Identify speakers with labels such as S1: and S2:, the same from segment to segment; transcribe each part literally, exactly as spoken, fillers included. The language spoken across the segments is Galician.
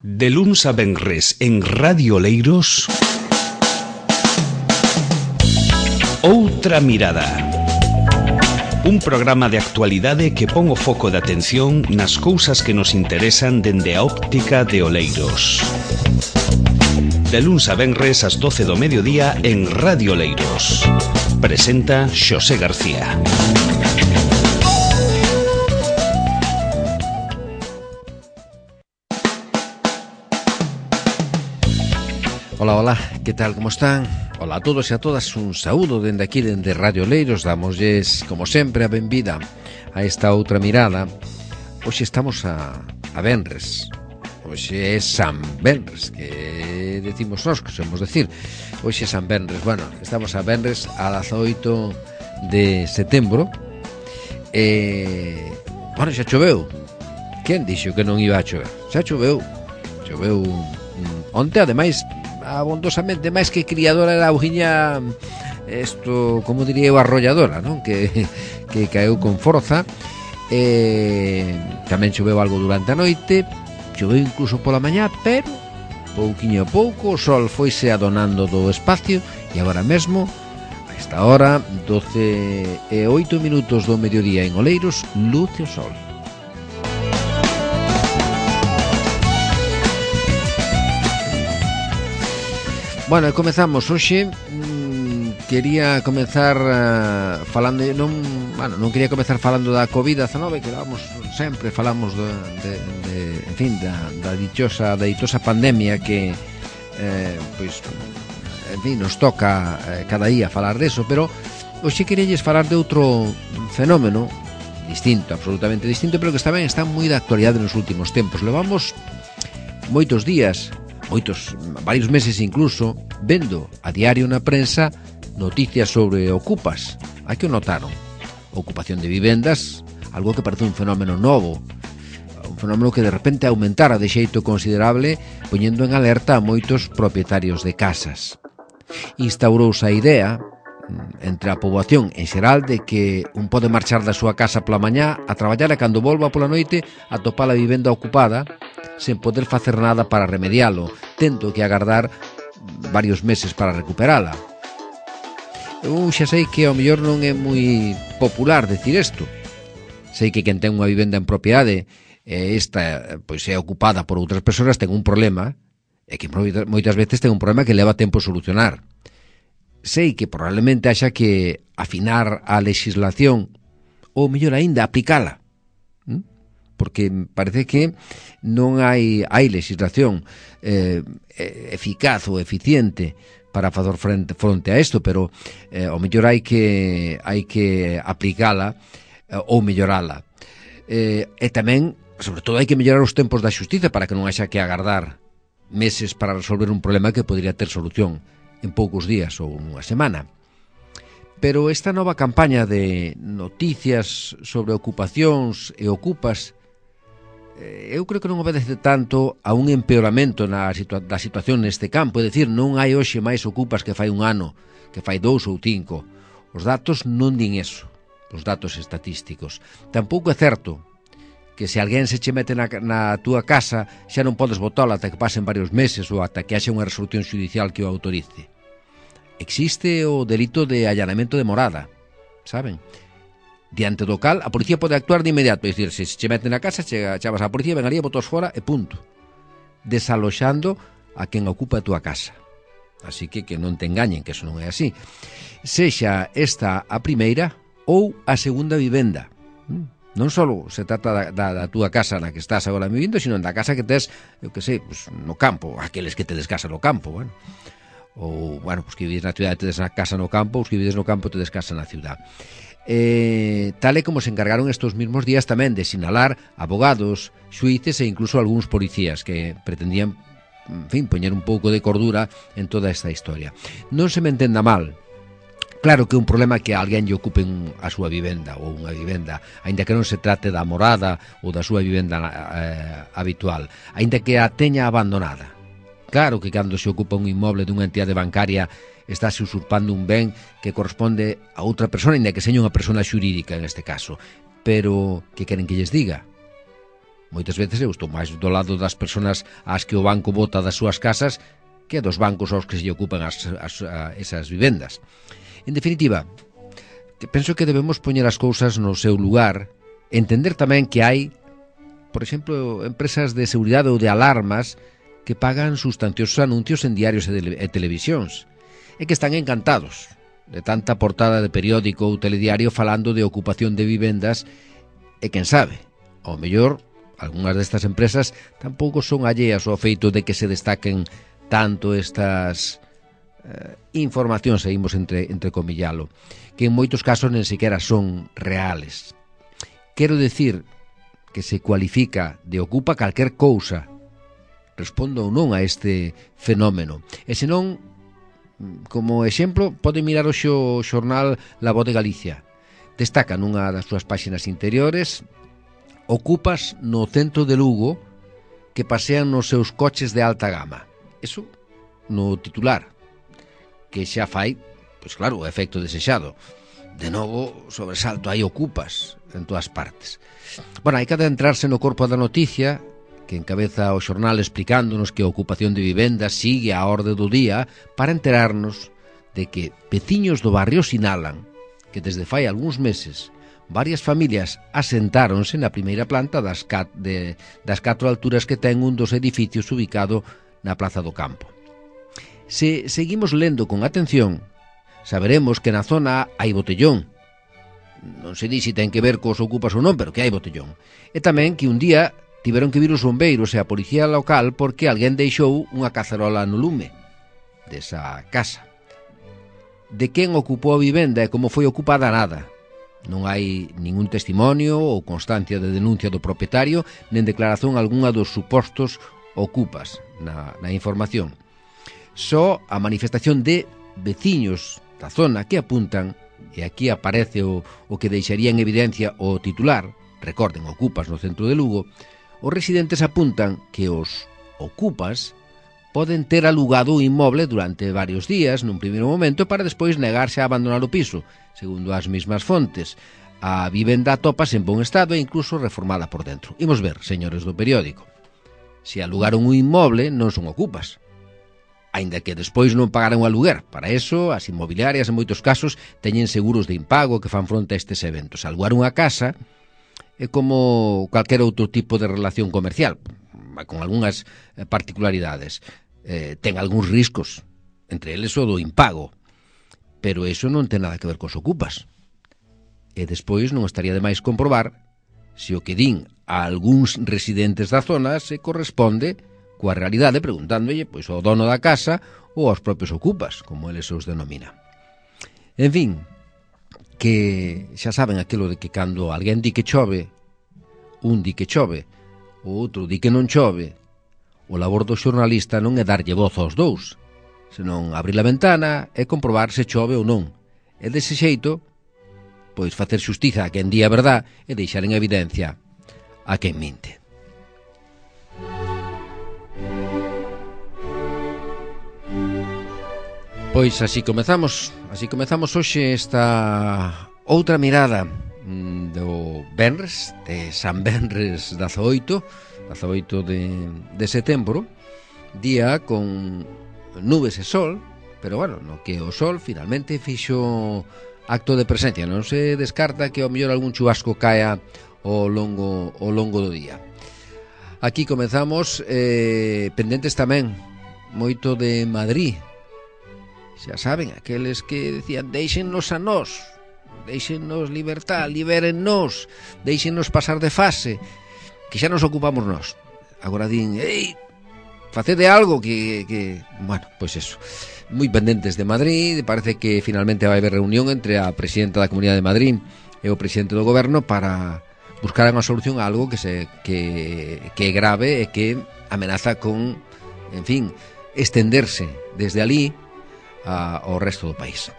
S1: De luns a venres en Radio Oleiros, Outra Mirada. Un programa de actualidade que pon o foco de atención nas cousas que nos interesan dende a óptica de Oleiros. De luns a venres ás doce do mediodía en Radio Oleiros. Presenta Xosé García.
S2: Hola, hola, que tal, como están? Hola a todos e a todas, un saúdo dende aquí, dende Radio Oleiros. Damosles, como sempre, a benvida a esta outra mirada. Hoxe estamos a, a venres. Hoxe é San Venres, que decimos nós, que somos decir. Hoxe é San Venres, bueno, estamos a venres a dezaoito de setembro. E, bueno, xa choveu. Quen dixo que non iba a chover? Xa choveu. Choveu mm, onte, ademais, abondosamente, máis que criadora era a augiña, isto, como diría eu, arrolladora, non? Que, que caeu con forza. E tamén choveu algo durante a noite, choveu incluso pola mañá, pero pouquiño a pouco o sol foise adonando do espacio e agora mesmo, a esta hora, doce e oito minutos do mediodía en Oleiros, luce o sol. Bueno, comezamos hoxe. mm, Quería comezar uh, falando non, bueno, non quería comezar falando da covid dezenove, que vamos, sempre falamos de, de, de en fin, da, da dichosa da ditosa pandemia que eh, pois, en fin, nos toca eh, cada día falar deso, pero hoxe queríalles falar de outro fenómeno distinto, absolutamente distinto, pero que tamén está moi de actualidade nos últimos tempos. Levamos moitos días, moitos, varios meses incluso, vendo a diario na prensa noticias sobre ocupas. Hai que o notaron. Ocupación de vivendas, algo que parece un fenómeno novo, un fenómeno que de repente aumentara de xeito considerable, poñendo en alerta a moitos propietarios de casas. Instaurouse a idea entre a poboación en xeral de que un pode marchar da súa casa pola mañá a traballar e cando volva pola noite a topar a vivenda ocupada sen poder facer nada para remedialo, tendo que agardar varios meses para recuperala. Eu xa sei que ao mellor non é moi popular decir isto. Sei que quen ten unha vivenda en propiedade e esta pois é ocupada por outras persoas ten un problema, e que moitas veces ten un problema que leva tempo a solucionar. Sei que probablemente haxa que afinar a legislación ou mellor aínda aplicala, ¿Mm? porque parece que non hai hai legislación eh, eficaz ou eficiente para facer frente, fronte a isto, pero eh, ao mellor hai que hai que aplicala eh, ou mellorala. Eh, e tamén, sobre todo, hai que mellorar os tempos da xustiza para que non haxa que agardar meses para resolver un problema que podría ter solución en poucos días ou unha semana. Pero esta nova campaña de noticias sobre ocupacións e ocupas, eu creo que non obedece tanto a un empeoramento na situa- da situación neste campo. É dicir, non hai hoxe máis ocupas que fai un ano, que fai dous ou cinco. Os datos non din eso, os datos estatísticos. Tampouco é certo que se alguén se che mete na, na túa casa xa non podes botala ata que pasen varios meses ou ata que haxa unha resolución judicial que o autorice. Existe o delito de allanamento de morada, saben? Diante do cal, a policía pode actuar de inmediato. É dicir, se che mete na casa, chega, chavas a policía, vengaría, botos fora e punto. Desaloxando a quen ocupa a túa casa. Así que que non te engañen, que eso non é así. Sexa esta a primeira ou a segunda vivenda. Non só se trata da, da, da túa casa na que estás agora vivindo, sino da casa que tes, eu que sei, pues, no campo, aqueles que tedes casa no campo, bueno. Ou, bueno, pues que vives na cidade tedes na casa no campo, os que vives no campo tedes casa na cidade. Eh, tal e como se encargaron estos mismos días tamén de sinalar abogados, xuíces e incluso algúns policías que pretendían, en fin, poñer un pouco de cordura en toda esta historia. Non se me entenda mal. Claro que é un problema que alguén lle ocupen a súa vivenda ou unha vivenda, aínda que non se trate da morada ou da súa vivenda eh, habitual, aínda que a teña abandonada. Claro que cando se ocupa un inmoble dunha entidade bancaria estáse usurpando un ben que corresponde a outra persona, ainda que seña unha persona xurídica en este caso. Pero, que queren que lles diga? Moitas veces eu estou máis do lado das persoas ás que o banco bota das súas casas que dos bancos aos que se ocupan as, as, a, esas vivendas. En definitiva, penso que debemos poñer as cousas no seu lugar, entender tamén que hai, por exemplo, empresas de seguridade ou de alarmas que pagan sustanciosos anuncios en diarios e, de, e televisións e que están encantados de tanta portada de periódico ou telediario falando de ocupación de vivendas e quen sabe, ao mellor algunhas destas empresas tampouco son alleas ao feito de que se destaquen tanto estas eh, informacións, seguimos entre, entre comillalo, que en moitos casos nen sequera son reales. Quero decir que se cualifica de ocupa calquer cousa, respondo ou non a este fenómeno. E senón, como exemplo, pode mirar o xo, xornal La Voz de Galicia. Destaca nunha das súas páxinas interiores ocupas no centro de Lugo que pasean nos seus coches de alta gama. Eso no titular, que xa fai, pois claro, o efecto desexado. De novo, sobresalto, hai ocupas en todas partes. Bueno, hai que adentrarse no corpo da noticia que encabeza o xornal explicándonos que a ocupación de vivendas sigue a orde do día para enterarnos de que veciños do barrio sinalan que desde fai algúns meses varias familias asentáronse na primeira planta das, cat, de, das catro alturas que ten un dos edificios ubicado na Plaza do Campo. Se seguimos lendo con atención, saberemos que na zona hai botellón. Non se di se ten que ver cos ocupas ou non, pero que hai botellón. E tamén que un día tiveron que vir os bombeiros e a policía local porque alguén deixou unha cacerola no lume desa casa. De quen ocupou a vivenda e como foi ocupada, nada. Non hai ningún testimonio ou constancia de denuncia do propietario nen declaración algunha dos supostos ocupas na, na información. Só a manifestación de veciños da zona que apuntan, e aquí aparece o, o que deixaría en evidencia o titular, recorden, ocupas no centro de Lugo, os residentes apuntan que os ocupas poden ter alugado o inmoble durante varios días nun primeiro momento para despois negarse a abandonar o piso. Segundo as mesmas fontes, a vivenda atópase en bon estado e incluso reformada por dentro. Imos ver, señores do periódico, se alugaron un inmoble non son ocupas, aínda que despois non pagaron o aluguer. Para eso, as inmobiliarias en moitos casos teñen seguros de impago que fan fronte a estes eventos. Alugar unha casa é como calquer outro tipo de relación comercial, con algunhas particularidades. Eh, ten algúns riscos, entre eles o do impago, pero eso non ten nada que ver cos ocupas. E despois non estaría de máis comprobar se o que din a algúns residentes da zona se corresponde coa realidade, preguntándolle pois ao dono da casa ou aos propios ocupas, como eles os denomina. En fin, que xa saben aquilo de que cando alguén di que chove, un di que chove, o outro di que non chove, o labor do xornalista non é darlle voz aos dous, senón abrir a ventana e comprobar se chove ou non. E dese xeito, pois facer xustiza a quen di a verdad e deixar en evidencia a quen minte. Pois así comezamos, así comezamos hoxe esta outra mirada do Benres, de San Benres dezaoito, dezaoito de, de setembro, día con nubes e sol, pero bueno, no que o sol finalmente fixo acto de presencia, non se descarta que ao mellor algún chubasco caia ao longo, ao longo do día. Aquí comezamos eh, pendentes tamén moito de Madrid. Xa saben, aqueles que decían deixennos a nós, deixennos libertad, libérennos, deixennos pasar de fase, que xa nos ocupamos nós. Agora din, ei, facede algo que, que... Bueno, pois eso, moi pendentes de Madrid. Parece que finalmente vai haber reunión entre a presidenta da Comunidade de Madrid e o presidente do goberno para buscar unha solución a algo que se que, que é grave e que amenaza con, en fin, estenderse desde ali a, ao resto do país.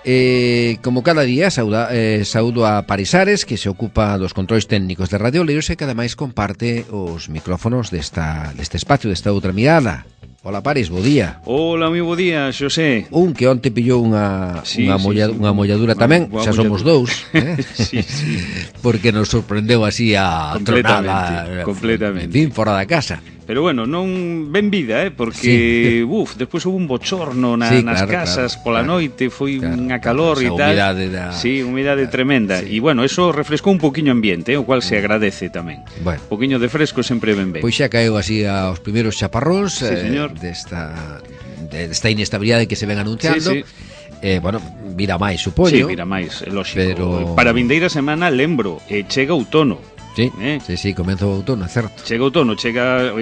S2: Eh, como cada día, sauda, eh, saudo a Parisares, que se ocupa dos controis técnicos de Radio Oleiros e que ademais comparte os micrófonos desta, deste espacio, desta outra mirada, Hola, Paris, bo día.
S1: Hola, moi bo día, Xosé.
S2: Un que onte pillou unha
S1: sí,
S2: unha,
S1: sí,
S2: molla,
S1: sí.
S2: unha molladura tamén,
S1: Boa
S2: xa somos
S1: molladura.
S2: dous, eh?
S1: sí, sí.
S2: Porque nos sorprendeu así a
S1: Completamente,
S2: tronada,
S1: completamente.
S2: En fin, fora da casa.
S1: Pero bueno, non ben vida, eh, porque, sí. uf, despois houve un bochorno na,
S2: sí,
S1: nas
S2: claro,
S1: casas
S2: claro,
S1: pola
S2: claro,
S1: noite, foi
S2: claro,
S1: unha calor
S2: claro,
S1: e tal.
S2: Humidade da...
S1: Sí, humidade
S2: claro,
S1: tremenda. E
S2: sí.
S1: bueno, eso refrescou un poquinho o ambiente, eh, o cual se agradece tamén.
S2: Bueno.
S1: Un poquinho de fresco sempre ben ben.
S2: Pois xa caeu así aos primeiros chaparróns
S1: sí,
S2: eh, desta, desta inestabilidade que se ven anunciando.
S1: Sí, sí.
S2: Eh, bueno, vira máis, supoño.
S1: Sí, vira máis, é lógico.
S2: Pero...
S1: Para a vindeira semana, lembro, eh, chega outono.
S2: Sí,
S1: eh?
S2: sí, sí, comeza o outono, é certo.
S1: Chega outono, chega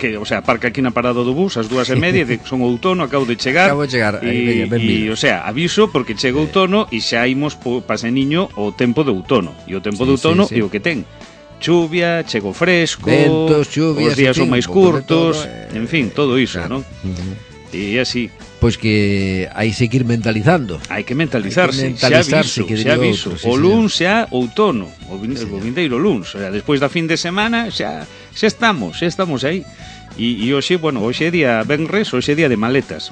S1: que, o sea, parca aquí na parada do bus ás dúas e media, de, son outono, acabo de chegar.
S2: Acabo de chegar,
S1: e,
S2: ben, ben
S1: e, o sea, aviso porque chega outono e xa imos pase niño o tempo de outono. E o tempo
S2: sí,
S1: de outono
S2: sí, sí.
S1: é o que ten. Chuvia, chego fresco,
S2: ventos, chuvias,
S1: os días son
S2: en fin,
S1: máis curtos,
S2: todo, eh,
S1: en fin, todo iso,
S2: claro.
S1: ¿no? Uh-huh. E así.
S2: Pois que hai que ir mentalizando.
S1: Hai que mentalizarse,
S2: hai que mentalizarse
S1: xa aviso, xa aviso.
S2: Outro, sí,
S1: o luns xa outono, o, vin,
S2: sí,
S1: o vindeiro luns, o sea, despois da fin de semana xa xa estamos, xa estamos aí. E, e hoxe, bueno, hoxe é día venres, hoxe é día de maletas.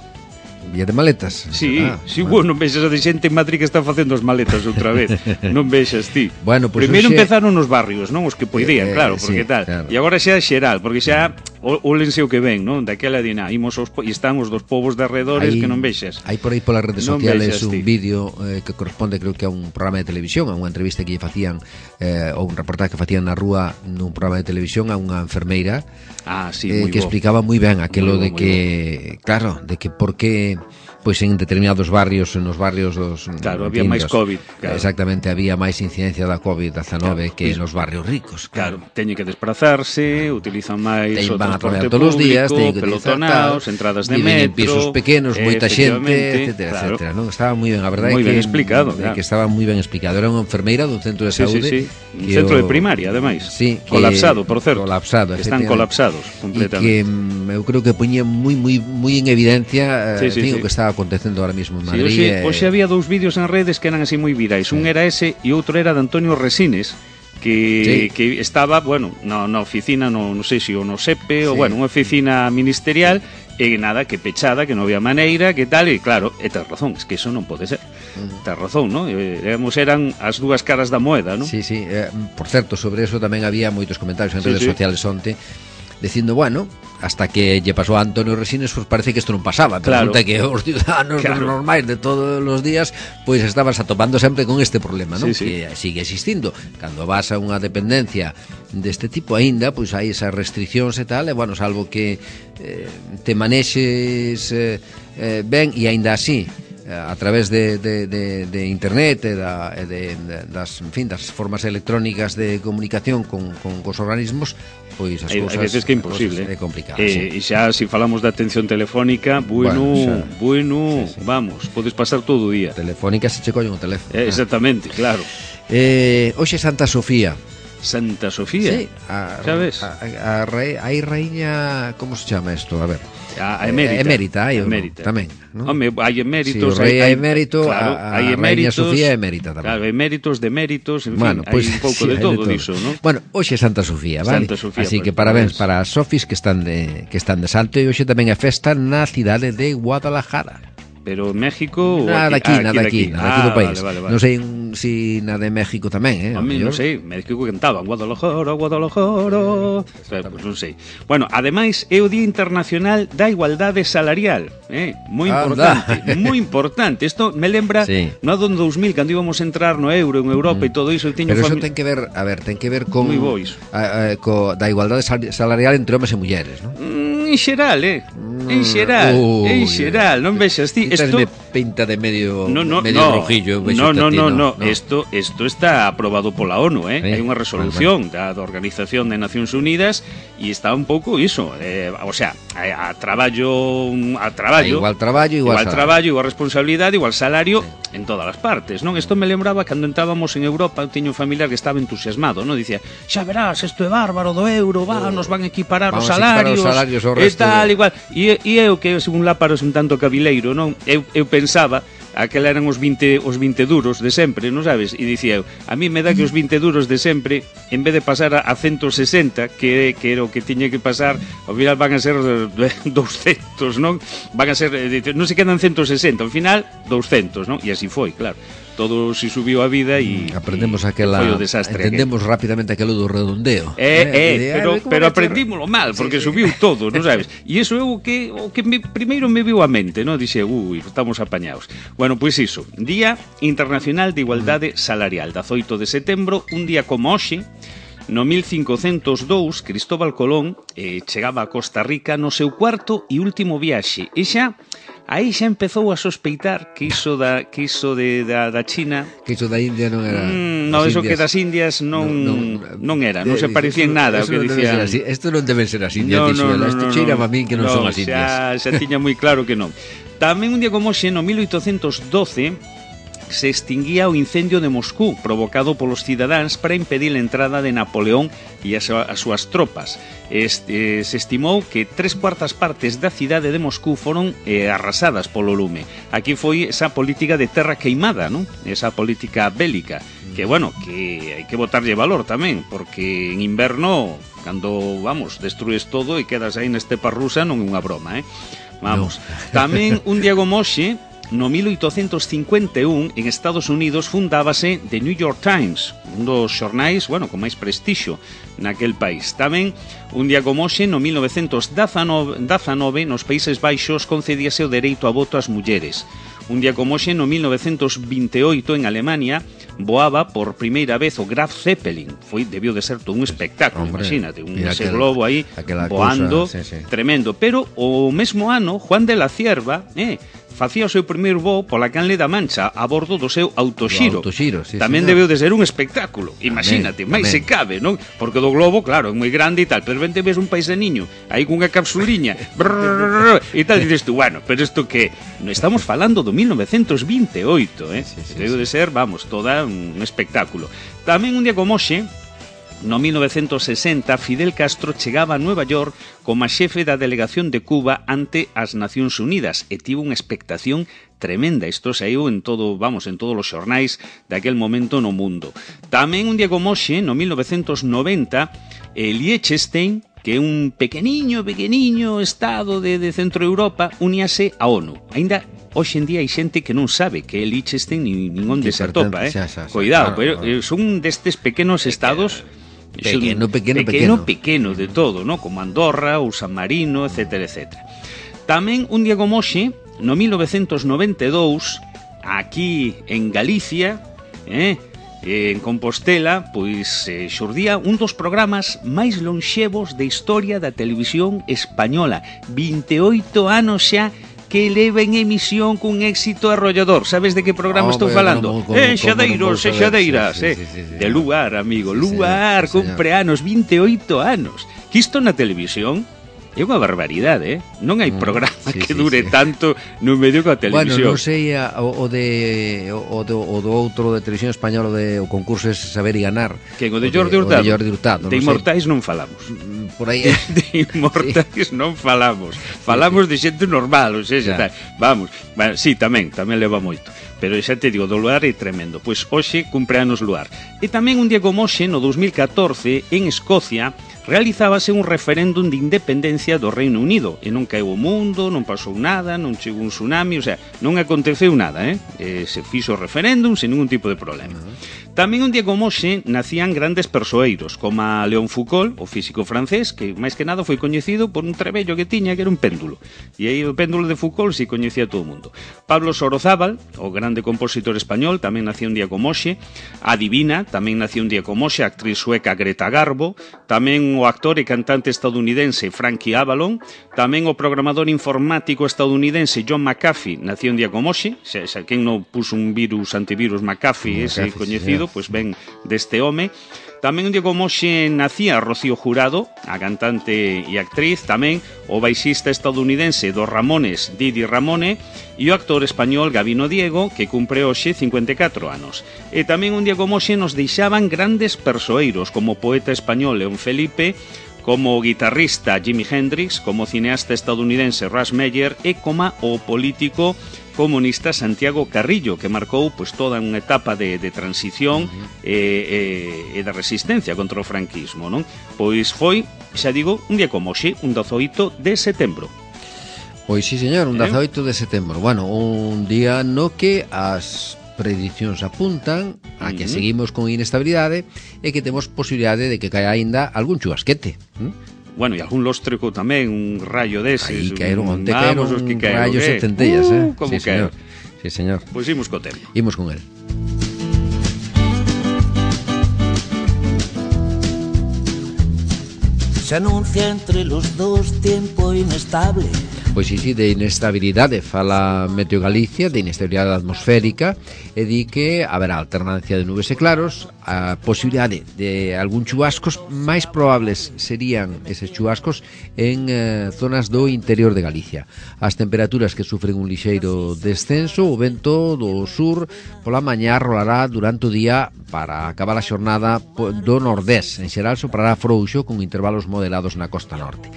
S2: Día de maletas.
S1: Sí,
S2: ah,
S1: sí, bueno, non vexas a de xente en Madrid que está facendo as maletas outra vez. Non vexas ti.
S2: Bueno, pues
S1: primeiro
S2: hoxe...
S1: empezaron nos barrios, non? Os que poidían,
S2: eh,
S1: claro, porque
S2: sí,
S1: tal.
S2: Claro.
S1: E agora xa é xeral, porque xa ólense o que ven, non? Daquela dina, imos os, e están os dos povos de arredores
S2: hay,
S1: que non vexas.
S2: Hai por aí polas redes
S1: non
S2: sociales
S1: vexas,
S2: un
S1: ti.
S2: vídeo eh, que corresponde, creo que a un programa de televisión, a unha entrevista que lle facían eh, ou un reportaje que facían na rúa nun programa de televisión a unha enfermeira.
S1: Ah, sí,
S2: eh,
S1: moi
S2: que
S1: bo.
S2: explicaba moi ben aquilo
S1: Moi
S2: de
S1: bo,
S2: que, claro, de que por que pois en determinados barrios, nos barrios dos
S1: claro, había máis COVID, claro.
S2: Exactamente, había máis incidencia da COVID dezanove
S1: claro,
S2: que
S1: pues,
S2: nos barrios ricos.
S1: Claro, claro teñen que desplazarse, utilizan máis
S2: Ten,
S1: o
S2: van a
S1: transporte
S2: traballar todos os días,
S1: público,
S2: teñen que
S1: pelotonaos, entradas de metro,
S2: en pisos pequenos, moita xente, etcétera,
S1: claro.
S2: etcétera, non? Estaba moi ben, a verdade
S1: moi
S2: que
S1: ben explicado,
S2: de
S1: claro.
S2: que estaba moi ben explicado. Era unha enfermeira dun centro de
S1: sí,
S2: saúde,
S1: sí, sí. Un centro o... de primaria, ademais.
S2: Sí,
S1: colapsado, por certo.
S2: Colapsado,
S1: están colapsados completamente.
S2: E que eu creo que poñía moi moi moi en evidencia,
S1: sí,
S2: eh,
S1: sí,
S2: fin,
S1: sí.
S2: o que estaba acontecendo ahora mismo en Madrid.
S1: Sí, hoxe, hoxe había dous vídeos en redes que eran así moi virais. Sí. Un era ese e outro era de Antonio Resines, que, sí. que estaba, bueno, na, na oficina, no, non sei se o no SEPE, sí. ou bueno, unha oficina ministerial, e nada, que pechada, que non había maneira, que tal, e claro, e tes razón, es que eso non pode ser. Uh-huh. Tes razón, non? Éramos, eran as dúas caras da moeda, non?
S2: Sí, sí, eh, por certo, sobre eso tamén había moitos comentarios en
S1: sí,
S2: redes
S1: sí.
S2: sociales onte, dicindo, bueno, hasta que lle pasou a Antonio Resines, pues parece que isto non pasaba, pero
S1: claro.
S2: resulta que os ciudadanos claro. normais de todos os días, pois pues estabas atopando sempre con este problema, non?
S1: Sí, sí.
S2: Que sigue existindo. Cando vas a unha dependencia deste tipo aínda, pois pues hai esas restriccións e tal, e bueno, salvo que eh, te manexes eh, eh, ben e aínda así a través de, de, de, de internet e, da, e de, de, das, en fin, das formas electrónicas de comunicación con, con cos organismos, pois as cousas,
S1: hai veces que é imposible,
S2: é complicado.
S1: Eh,
S2: sí.
S1: E xa, se si falamos de atención telefónica, bueno, bueno, bueno sí, sí. vamos, podes pasar todo o día.
S2: Telefónica se che collen o teléfono.
S1: Eh, exactamente, claro.
S2: Eh, hoxe Santa Sofía.
S1: Santa Sofía?
S2: Sí, a,
S1: sabes?
S2: A, a, a, rei, a raíña, como se chama isto? A ver.
S1: A, a emérita.
S2: Emérita, hai
S1: emérita.
S2: tamén, ¿no?
S1: Home, hai eméritos,
S2: sí, o rei
S1: hai,
S2: hai emérito,
S1: claro,
S2: a, a
S1: hai eméritos,
S2: raíña Sofía é emérita tamén.
S1: Claro, eméritos, deméritos, en
S2: bueno,
S1: fin,
S2: pues,
S1: hai un pouco
S2: sí,
S1: de todo,
S2: de todo
S1: diso, ¿no?
S2: Bueno, hoxe é Santa Sofía, vale?
S1: Santa Sofía,
S2: así
S1: pues,
S2: que parabéns
S1: pues...
S2: para as sofis que están de que están de salto, e hoxe tamén é festa na cidade de Guadalajara.
S1: Pero México
S2: nada aquí,
S1: ah,
S2: nada aquí,
S1: aquí,
S2: nada aquí
S1: ah,
S2: do país.
S1: Vale, vale, vale.
S2: Non sei si na de México tamén, eh?
S1: A mí non sei, México cantaban Guadalajara, Guadalajara. Pues non sei. Bueno, ademais é o Día Internacional da Igualdade Salarial, eh? Moi importante, moi importante. Isto me lembra sí. no ano dos mil cando íbamos a entrar no euro, en Europa mm. e todo iso, tiño
S2: pero eso
S1: fami...
S2: ten que ver, a ver, ten que ver con
S1: a,
S2: a, co da igualdade salarial entre homes e mulleres, ¿no?
S1: Mm, en xeral, eh? En xeral, uh, en xeral, non vexas ti,
S2: isto pinta de medio
S1: no, no,
S2: medio
S1: no,
S2: rojillo,
S1: no, no, no, no,
S2: no,
S1: esto esto está aprobado pola ONU, eh? Hai unha resolución da, da Organización de Nacións Unidas e está un pouco iso, eh, o sea, a, a traballo a traballo,
S2: igual traballo, igual,
S1: igual traballo, igual responsabilidade, igual salario sí. en todas as partes, non? Isto me lembraba cando entrábamos en Europa, eu tiño un familiar que estaba entusiasmado, non? Dicía, xa verás, isto é bárbaro do euro, va, nos van a equiparar os salarios,
S2: equiparar os salarios ao
S1: resto e tal,
S2: de...
S1: igual. E, e eu que según láparos un tanto cabileiro, non? Eu, eu pensaba aquel eran os vinte, os vinte duros de sempre, non sabes? E dicía eu, a mí me dá que os vinte duros de sempre, en vez de pasar a, a ciento sesenta, que, que era o que tiña que pasar, ao final van a ser doscientos, non? Van a ser, non se quedan ciento sesenta, ao final doscientos, non? E así foi, claro. Todo se subiu a vida e
S2: aprendemos aquela,
S1: foi o desastre.
S2: Entendemos aquel. Rápidamente aquilo do redondeo.
S1: Eh, eh, eh pero, pero aprendímolo mal, porque sí, subiu sí. todo, non sabes? E iso é o que, o que me, primeiro me viu a mente, non? Dixe, ui, estamos apañados. Bueno, pois iso, Día Internacional de Igualdade Salarial, dezoito de setembro, un día como hoxe, no mil cincocentos e dous, Cristóbal Colón eh, chegaba a Costa Rica no seu cuarto e último viaxe. E xa, aí xa empezou a sospeitar que iso da que iso de da, da China,
S2: que iso da India non era.
S1: Mm, no, eso indias, que das Indias non non, non era, non se parecía en nada o que dicían.
S2: Isto non deben ser as Indias,
S1: no, no, no,
S2: isto
S1: no,
S2: cheira
S1: no,
S2: a min que non
S1: no,
S2: son as Indias.
S1: Xa, xa tiña moi claro que non. Tamén un día como hoxe, no mil oitocentos e doce, se extinguía o incendio de Moscú provocado polos cidadáns para impedir a entrada de Napoleón e as, as súas tropas. Este, se estimou que tres cuartas partes da cidade de Moscú foron eh, arrasadas polo lume. Aquí foi esa política de terra queimada, non? Esa política bélica, que, bueno, que hai que botarlle valor tamén, porque en inverno, cando, vamos, destrues todo e quedas aí na estepa rusa, non é unha broma, eh? Vamos. No. Tamén un día como hoxe, no mil oitocentos cincuenta e un, en Estados Unidos, fundábase The New York Times, un dos xornais, bueno, con máis prestixio naquel país. Tamén, un día como hoxe, no mil novecentos dezanove, nos Países Baixos, concedíase o dereito a voto ás mulleres. Un día como hoxe, no mil novecentos vinte e oito, en Alemania, voaba por primeira vez o Graf Zeppelin. Foi, debió de ser todo un espectáculo, hombre, imagínate, un ese aquel, globo aí voando, cosa, sí, sí. Tremendo. Pero o mesmo ano, Juan de la Cierva, eh, facía o seu primeiro voo pola Canle da Mancha a bordo do seu autoxiro. autoxiro sí, tamén señor. Debeu de ser un espectáculo. Imagínate, máis se cabe, non? Porque do globo, claro, é moi grande e tal, pero vente ves un país de niño aí cunha capsuliña e tal, dices tú, bueno, pero isto que estamos falando do mil novecentos vinte e oito, eh? Sí, sí, debeu sí. de ser, vamos, toda un espectáculo. Tamén un día como hoxe, no mil novecentos sesenta, Fidel Castro chegaba a Nueva York como xefe da delegación de Cuba ante as Nacións Unidas e tivo unha expectación tremenda. Isto saiu en todo, vamos, en todos os xornais daquel momento no mundo. Tamén un día como hoxe, no mil novecentos noventa, Liechtenstein, que é un pequeniño, pequeniño estado de, de Centro Europa, uníase a ONU. Ainda hoxe en día hai xente que non sabe que é Liechtenstein ni, nin onde se atopa, eh? Xa, xa, xa, cuidado, claro, pero claro. Son destes pequenos estados
S2: pequeno, pequeno,
S1: pequeno, pequeno de todo, ¿no? Como Andorra ou San Marino, etcétera, etcétera. Tamén un día como hoxe, no mil novecentos noventa e dous, aquí en Galicia, eh, en Compostela, pois eh, xurdía un dos programas máis lonxevos de historia da televisión española. vinte e oito anos xa que leva en emisión cun éxito arrollador. Sabes de que programa oh, estou falando? No, eh, Xadeiros e Xadeiras, sí, sí, sí, sí, eh. De Luar, amigo, sí, Luar, sí, cumpre anos, vinte e oito anos. Que isto na televisión é unha barbaridade, eh? Non hai programa sí, que dure sí, sí. tanto no medio que a televisión.
S2: Bueno, non sei o, o de o do, o do outro de televisión española, de o concurso é Saber e Ganar.
S1: Que o de Jordi Hurtado.
S2: De Jordi Hurtado.
S1: De Inmortais non falamos.
S2: Por aí.
S1: De Inmortais sí. non falamos. Falamos sí, sí. de xente normal, ou sea, tal. Vamos. Bueno, sí, tamén, tamén leva moito. Pero xa te digo, do Luar é tremendo. Pois hoxe cumpre anos Luar. E tamén un día como hoxe, no dos mil catorce, en Escocia, realizábase un referéndum de independencia do Reino Unido e non caeu o mundo, non pasou nada, non chegou un tsunami, o sea, non aconteceu nada, eh? eh se fixo o referéndum sen ningún tipo de problema. Uh-huh. Tamén un día como hoxe nacían grandes persoeiros, como a Léon Foucault, o físico francés, que máis que nada foi coñecido por un trebello que tiña, que era un péndulo. E aí o péndulo de Foucault si coñecía todo o mundo. Pablo Sorozábal, o grande compositor español, tamén nacía un día como hoxe. A Divina, tamén nacía un día como hoxe, a actriz sueca Greta Garbo, tamén o actor e cantante estadounidense Frankie Avalon, tamén o programador informático estadounidense John McAfee nacía un día como hoxe. Xa, xa quen non puso un virus antivirus McAfee, ese McAfee, coñecido, sí, pois ben deste home. Tamén un día como hoxe nacía Rocío Jurado, a cantante e actriz, tamén o baixista estadounidense dos Ramones, Didi Ramone, e o actor español Gabino Diego, que cumpre hoxe cincuenta e catro anos. E tamén un día como hoxe nos deixaban grandes persoeiros, como o poeta español León Felipe, como o guitarrista Jimi Hendrix, como o cineasta estadounidense Russ Meyer e como o político comunista Santiago Carrillo, que marcou pois, toda unha etapa de, de transición uh-huh. e, e, e de resistencia contra o franquismo, non? Pois foi, xa digo, un día como hoxe, un dezoito de setembro.
S2: Pois sí, señor, un dezoito de setembro. Bueno, un día no que as predicións apuntan a que uh-huh. seguimos con inestabilidade e que temos posibilidade de que caia aínda algún chubasquete. ¿Mm?
S1: Bueno, e algún lóstreco tamén, un rayo deses.
S2: Aí caeron, onte caeron rayos e centellas, eh?
S1: Uh, como
S2: sí,
S1: señor.
S2: Sí, señor.
S1: Pois pues imos co tempo.
S2: Imos con el.
S3: Se anuncia entre los dos tiempo inestable.
S2: Pois sí, sí, de inestabilidade fala Meteo Galicia, de inestabilidade atmosférica, e di que haberá alternancia de nubes e claros, a posibilidade de algún chubascos, máis probables serían eses chubascos en eh, zonas do interior de Galicia. As temperaturas que sufren un lixeiro descenso, o vento do sur pola mañá rolará durante o día para acabar a xornada do nordés. En xeral soprará frouxo con intervalos moderados na costa norte.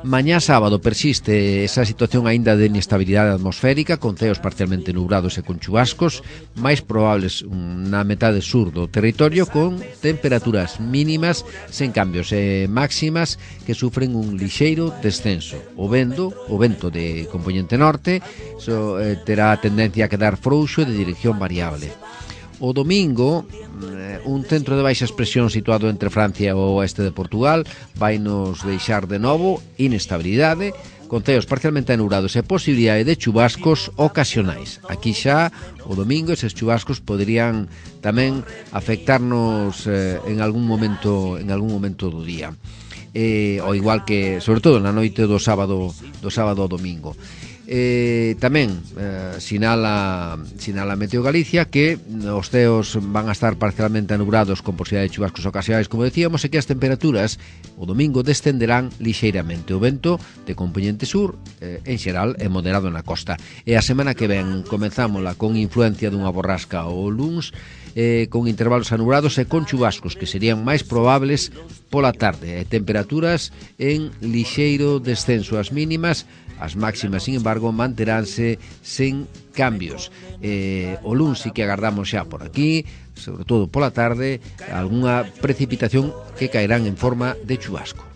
S2: Mañá sábado persiste esa situación aínda de inestabilidade atmosférica, con ceos parcialmente nubrados e con chubascos, máis probables na metade sur do territorio, con temperaturas mínimas sen cambios e máximas que sufren un lixeiro descenso. O vento, o vento de componente norte so, eh, terá tendencia a quedar frouxo e de dirección variable. O domingo, un centro de baixas presión situado entre Francia e o oeste de Portugal vai nos deixar de novo inestabilidade, con ceos parcialmente anubrados e posibilidade de chubascos ocasionais. Aquí xa, o domingo, eses chubascos poderían tamén afectarnos eh, en algún momento en algún momento do día. Eh, o igual que, sobre todo, na noite do sábado do sábado ao domingo. Eh, tamén eh, sinala sinala Meteo Galicia que os ceos van a estar parcialmente anubrados con posibilidade de chubascos ocasionais, como decíamos, e que as temperaturas o domingo descenderán lixeiramente. O vento de componente sur eh, en xeral é moderado na costa, e a semana que ven comenzámola con influencia dunha borrasca o luns, eh, con intervalos anubrados e con chubascos que serían máis probables pola tarde, e temperaturas en lixeiro descenso. As mínimas, as máximas, sin embargo, manteránse sen cambios. Eh, o luns sí que agardamos xa por aquí, sobre todo pola tarde, algunha precipitación que caerán en forma de chubasco.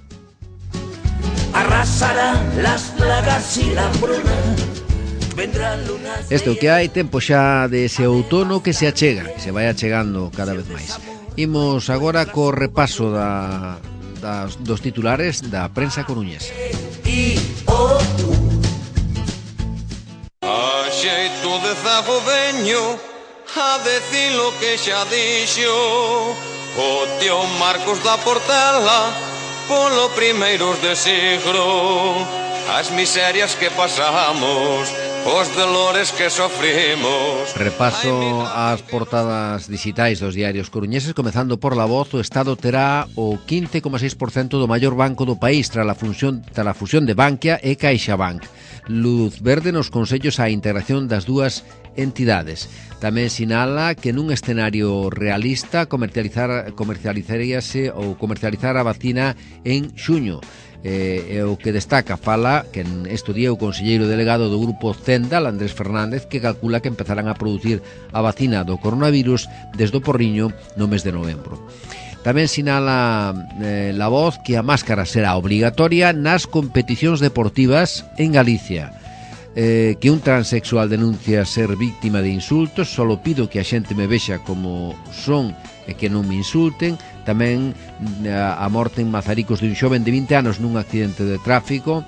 S3: Arrasarán las plagas y la hambruna.
S2: Isto que hai, tempo xa de ese outono que se achega, que se vai achegando cada vez máis. Imos agora co repaso da, das, dos titulares da prensa coruñesa.
S4: A xeito de zago veño a decir lo que xa dixo o tío Marcos da Portela polo primeiros de siglo. As miserias que pasamos, os dolores que sofrimos.
S2: Repaso ás portadas digitais dos diarios coruñeses, comezando por La Voz. O Estado terá o quince coma seis por cento do maior banco do país tras a fusión, tras a fusión de Bankia e CaixaBank. Luz verde nos consellos á integración das dúas entidades. Tamén sinala que nun escenario realista comercializar comercializaríase ou comercializar a vacina en xuño. Eh, o que destaca, fala que en este día o conselleiro delegado do grupo Zendal, Andrés Fernández, que calcula que empezarán a producir a vacina do coronavirus desde o Porriño no mes de novembro. Tamén sinala eh, La Voz que a máscara será obrigatoria nas competicións deportivas en Galicia. Eh, que un transexual denuncia ser víctima de insultos. Solo pido que a xente me vexa como son e que non me insulten. Tamén a morte en Mazaricos de un xoven de vinte anos nun accidente de tráfico.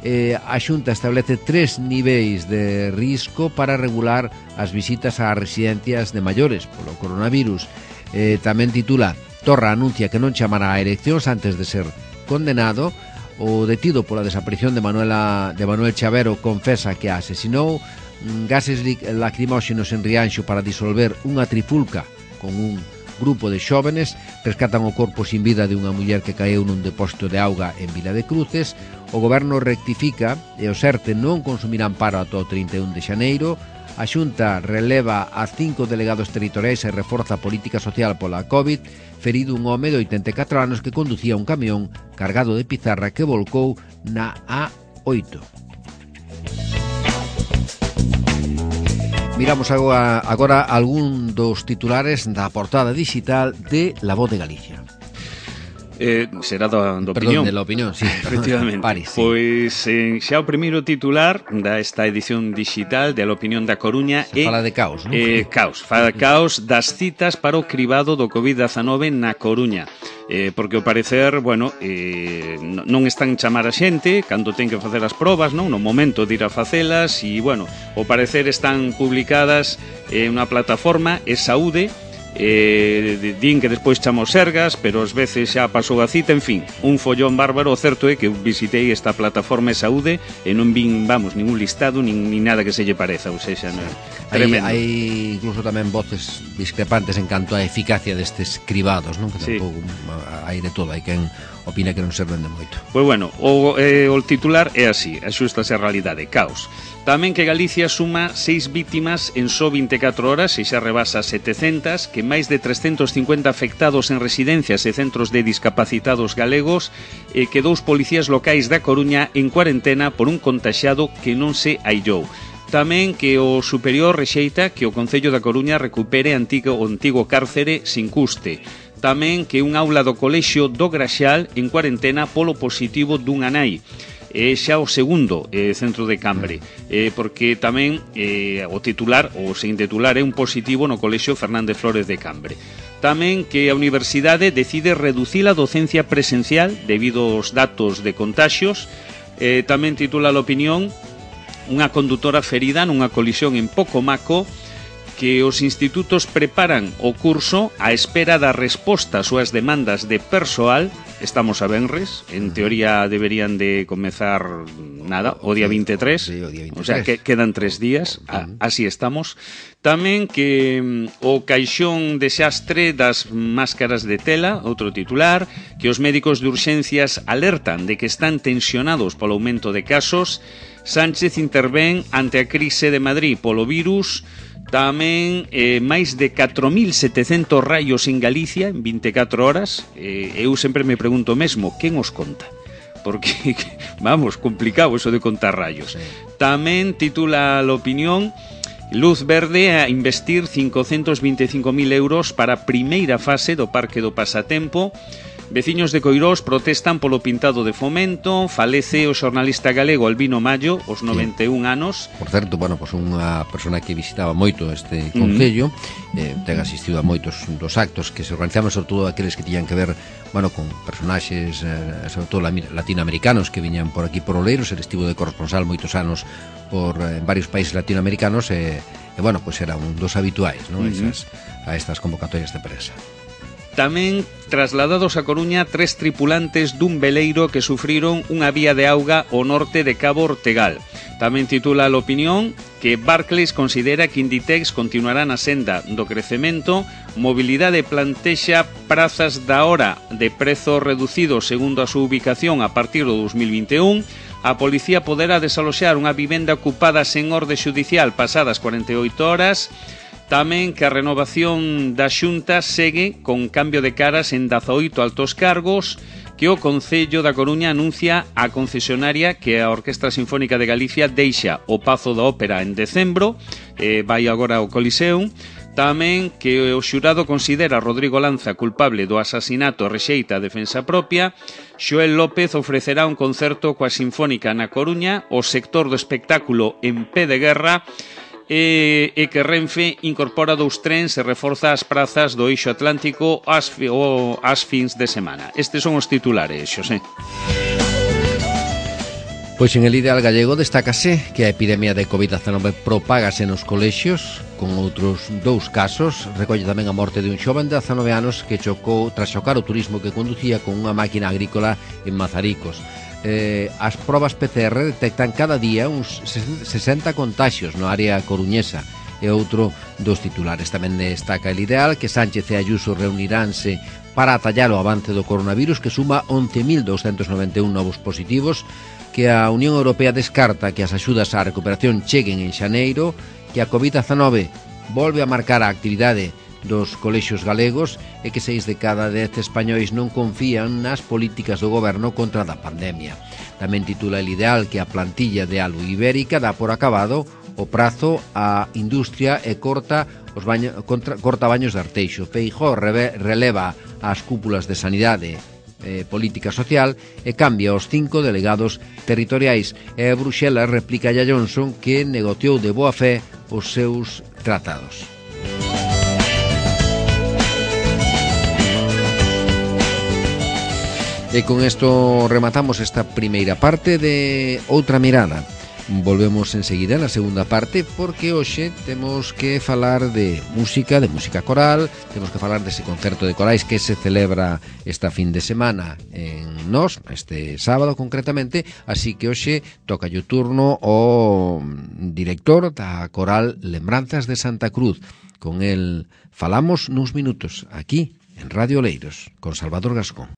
S2: Eh, a Xunta establece tres niveis de risco para regular as visitas ás residencias de maiores polo coronavirus. Eh, tamén titula: Torra anuncia que non chamará a eleccións antes de ser condenado. O detido pola desaparición de Manuela de Manuel Chavero confesa que a asesinou. Gases lacrimóxenos en Rianxo para disolver unha trifulca con un grupo de xóvenes. Rescatan o corpo sin vida de unha muller que caeu nun depósito de auga en Vila de Cruces. O goberno rectifica e o SERTE non consumirá amparo ata o trinta e un de xaneiro. A Xunta releva a cinco delegados territoriais e reforza a política social pola COVID. Ferido un home de oitenta e catro anos que conducía un camión cargado de pizarra que volcou na A oito. Miramos agora, agora algún dos titulares da portada digital de La Voz de Galicia.
S1: Eh, será da, da
S2: Perdón,
S1: opinión.
S2: de la opinión, sí.
S1: Efectivamente.
S2: Paris, sí.
S1: Pois eh, xa o primeiro titular da esta edición digital de La Opinión da Coruña
S2: Se
S1: é
S2: fala de caos, non?
S1: Eh, caos, fala caos das citas para o cribado do covid dezanove na Coruña. Eh, porque ao parecer, bueno, eh, non están chamar a xente cando ten que facer as probas, non? No momento de ir a facelas e, bueno, ao parecer están publicadas en unha plataforma, é Saúde, eh, din que despois chamos Sergas, pero ás veces xa pasou a cita, en fin, un follón bárbaro. O certo é que visitei esta plataforma de Saúde e non vin, vamos, ningún listado, nin, nin nada que se lle pareza, ou seja, non, tremendo.
S2: Hai, hai incluso tamén voces discrepantes en canto á eficacia destes cribados, non? Que
S1: Sí.
S2: tampouco hai de todo, hai quen opina que non serven de moito.
S1: Pois bueno, o, eh, o titular é así, axústase a realidade, caos. Tamén que Galicia suma seis vítimas en só vinte e catro horas e xa rebasa setecentas, que máis de trescentos cincuenta afectados en residencias e centros de discapacitados galegos e que dous policías locais da Coruña en cuarentena por un contaxiado que non se aillou. Tamén que o superior rexeita que o Concello da Coruña recupere antigo, o antigo cárcere sin custe. Tamén que un aula do colexio do Graxal en cuarentena polo positivo dunha nai. É xa o segundo eh, centro de Cambre, eh, porque tamén eh, o titular, o sen titular, é un positivo no colexio Fernández Flórez de Cambre. Tamén que a universidade decide reducir a docencia presencial debido aos datos de contaxios. Eh, tamén titula a opinión unha condutora ferida nunha colisión en Pocomaco, que os institutos preparan o curso á espera da resposta ás súas demandas de persoal. Estamos a venres, en teoría deberían de comezar nada, o día vinte e tres,
S2: sí, o día vinte e tres.
S1: O sea, que quedan tres días, a, así estamos. Tamén que mm, o caixón de xastre das máscaras de tela, outro titular, que os médicos de urxencias alertan de que están tensionados polo aumento de casos. Sánchez intervén ante a crise de Madrid polo virus. Tamén eh, máis de catro mil setecentos raios en Galicia en vinte e catro horas. eh, Eu sempre me pregunto mesmo, quen os conta? Porque, vamos, complicado eso de contar raios.
S2: Sí.
S1: Tamén titula a opinión luz verde a investir cincocentos vinte e cinco mil euros para a primeira fase do Parque do Pasatempo. Veciños de Coirós protestan polo pintado de Fomento. Falece o xornalista galego Albino Mallo, aos noventa e un anos.
S2: Por certo, bueno, pues unha persona que visitaba moito este concello, mm. eh, ten asistido a moitos dos actos que se organizaban, sobre todo aqueles que tiñan que ver, bueno, con personaxes, eh, sobre todo latinoamericanos que viñan por aquí por Oleiros. El estivo de corresponsal moitos anos por eh, varios países latinoamericanos e, e bueno, pues era un dos habituais, ¿no? Mm-hmm. Esas, a estas convocatorias de prensa.
S1: Tamén trasladados a Coruña tres tripulantes dun veleiro que sufriron unha vía de auga ao norte de Cabo Ortegal. Tamén titula a opinión que Barclays considera que Inditex continuará na senda do crecemento. Mobilidade plantexa prazas da hora de prezo reducido segundo a súa ubicación a partir do dos mil vinte e un. A policía poderá desaloxar unha vivenda ocupada sen orde xudicial pasadas cuarenta e oito horas. Tamén que a renovación da Xunta segue con cambio de caras en dezaoito altos cargos, que o Concello da Coruña anuncia a concesionaria que a Orquestra Sinfónica de Galicia deixa o Pazo da Ópera en decembro, eh, vai agora ao Coliseum. Tamén que o xurado considera a Rodrigo Lanza culpable do asasinato e rexeita a defensa propia. Xoel López ofrecerá un concerto coa Sinfónica na Coruña. O sector do espectáculo en pé de guerra. E, e que Renfe incorpora dous trens e reforza as prazas do eixo atlántico as, o, as fins de semana. Estes son os titulares, Xosé.
S2: Pois en el ideal gallego destácase que a epidemia de covid dezanove propágase nos colexios, con outros dous casos. Recolle tamén a morte de un xoven de dezanove anos que chocou tras chocar o turismo que conducía con unha máquina agrícola en Mazaricos. Eh, as probas P C R detectan cada día uns sesenta contaxios no área coruñesa. E outro dos titulares tamén destaca el ideal que Sánchez e Ayuso reuniránse para atallar o avance do coronavirus, que suma once mil doscientos noventa e un novos positivos, que a Unión Europea descarta que as axudas á recuperación cheguen en xaneiro, que a covid dezanove volve a marcar a actividade dos colexios galegos e que seis de cada dez españois non confían nas políticas do goberno contra a pandemia. Tamén titula el ideal que a plantilla de Alu Ibérica dá por acabado o prazo á industria e corta os baño, contra, corta baños de Arteixo. Feijóo reve, releva as cúpulas de sanidade e política social e cambia os cinco delegados territoriais. E Bruxelas replica a Johnson que negociou de boa fe os seus tratados. E con isto rematamos esta primeira parte de Outra Mirada. Volvemos enseguida na segunda parte porque hoxe temos que falar de música, de música coral, temos que falar dese concerto de corais que se celebra esta fin de semana en Nos, este sábado concretamente, así que hoxe toca o turno ao director da coral Lembranzas de Santa Cruz. Con el falamos nuns minutos aquí en Radio Oleiros con Salvador Gascón.